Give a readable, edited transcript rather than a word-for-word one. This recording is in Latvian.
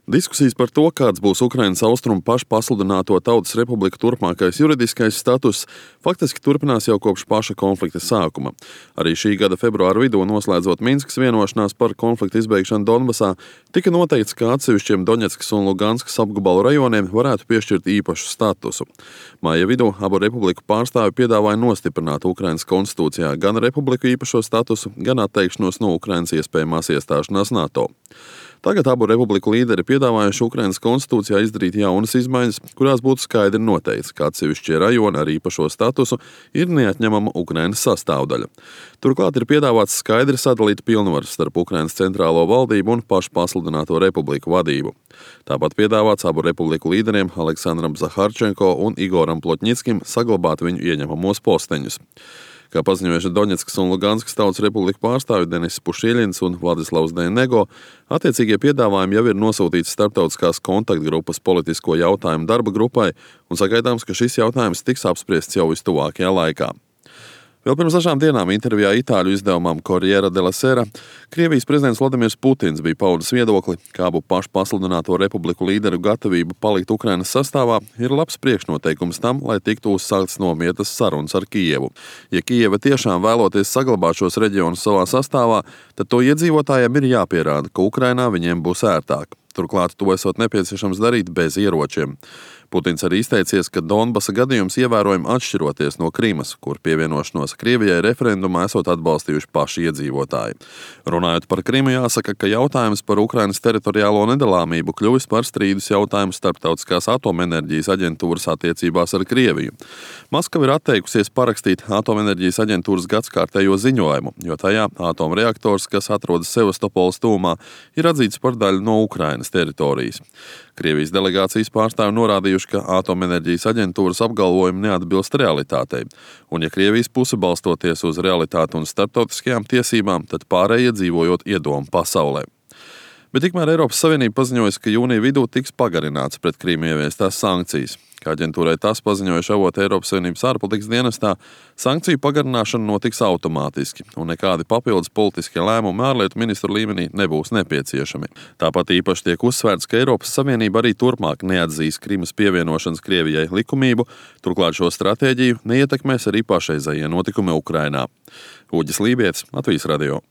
Diskusijas par to, kāds būs Ukrainas austrumu pašpasludināto Tautas Republiku turpmākais juridiskais status, faktiski turpinās jau kopš paša konflikta sākuma. Arī šī gada februāra vidū, noslēdzot Minskas vienošanās par konflikta izbeigšanu Donbasā, tika noteikts, ka atsevišķiem Doņetskas un Luganskas apgabalu rajoniem varētu piešķirt īpašu statusu. Māja vidū abu republiku pārstāvi piedāvāja nostiprināt Ukrainas konstitūcijā gan republiku īpašo statusu, gan atteikšanos no Ukrainas iespējamās iestāšanās NATO. Tagad abu republiku līderi piedāvājuši Ukrainas konstitūcijā izdarīt jaunas izmaiņas, kurās būtu skaidri noteikts, ka atsevišķie rajoni ar īpašo statusu ir neatņemama Ukrainas sastāvdaļa. Turklāt ir piedāvāts skaidri sadalīt pilnvaras starp Ukrainas centrālo valdību un pašpasludināto republiku vadību. Tāpat piedāvāts abu republiku līderiem Aleksandram Zaharčenko un Igoram Plotņickim saglabāt viņu ieņemamos posteņus. Kā paziņojuši Doņetskas un Luganskas Tautas Republiku pārstāvji Denis Pušīļins un Vladislavs Denego, attiecīgie piedāvājumi jau ir nosūtīti starptautiskās kontaktgrupas politisko jautājumu darba grupai un sagaidāms, ka šis jautājums tiks apspriests jau vistuvākajā laikā. Vēl pirms dažām dienām intervijā itāļu izdevumam Corriere della Sera Krievijas prezidents Vladimirs Putins bija paudis viedokli, ka abu pašpasludināto republiku līderu gatavība palikt Ukrainas sastāvā ir labs priekšnoteikums tam, lai tiktu uzsāktas nomietas sarunas ar Kijevu. Ja Kijeva tiešām vēloties saglabāt šos reģionus savā sastāvā, tad to iedzīvotājiem ir jāpierāda, ka Ukrainā viņiem būs ērtāk. Turklāt to esot nepieciešams darīt bez ieročiem. Putins arī izteicies, ka Donbasa gadījums ievērojami atšķiroties no Krimas, kur pievienošanos Krievijai referendumā esot atbalstījuši paši iedzīvotāji. Runājot par Krimu, jāsaka, ka jautājums par Ukrainas teritoriālo nedalāmību kļuvis par strīdus jautājumu starptautiskās atomenerģijas aģentūras attiecībās ar Krieviju. Maskava ir atteikusies parakstīt atomenerģijas aģentūras gadskārtējo ziņojumu, jo tajā atomreaktors, kas atrodas Sevastopoles tuvumā, ir atzīts par daļu no Ukrainas teritorijas. Krievijas delegācijas pārstāvi norādījuši, ka atomenerģijas aģentūras apgalvojumi neatbilst realitātei, un ja Krievijas puse balstoties uz realitāti un starptautiskajām tiesībām, tad pārējie dzīvojot iedomu pasaulē. Bet tikmēr Eiropas Savienība paziņojusi, ka jūnija vidū tiks pagarināts pret Krīmu ieviestās sankcijas. Kā aģentūrai tas paziņojuši avoti Eiropas Savienības ārpolitikas dienestā, sankciju pagarināšana notiks automātiski, un nekādi papildus politiskie lēmumi ārlietu ministru līmenī nebūs nepieciešami. Tāpat īpaši tiek uzsvērts, ka Eiropas Savienība arī turpmāk neatzīs Krimas pievienošanas Krievijai likumību, turklāt šo stratēģiju neietekmēs arī pašreizējie notikumi Ukrainā. Uģis Lībietis, Latvijas radio.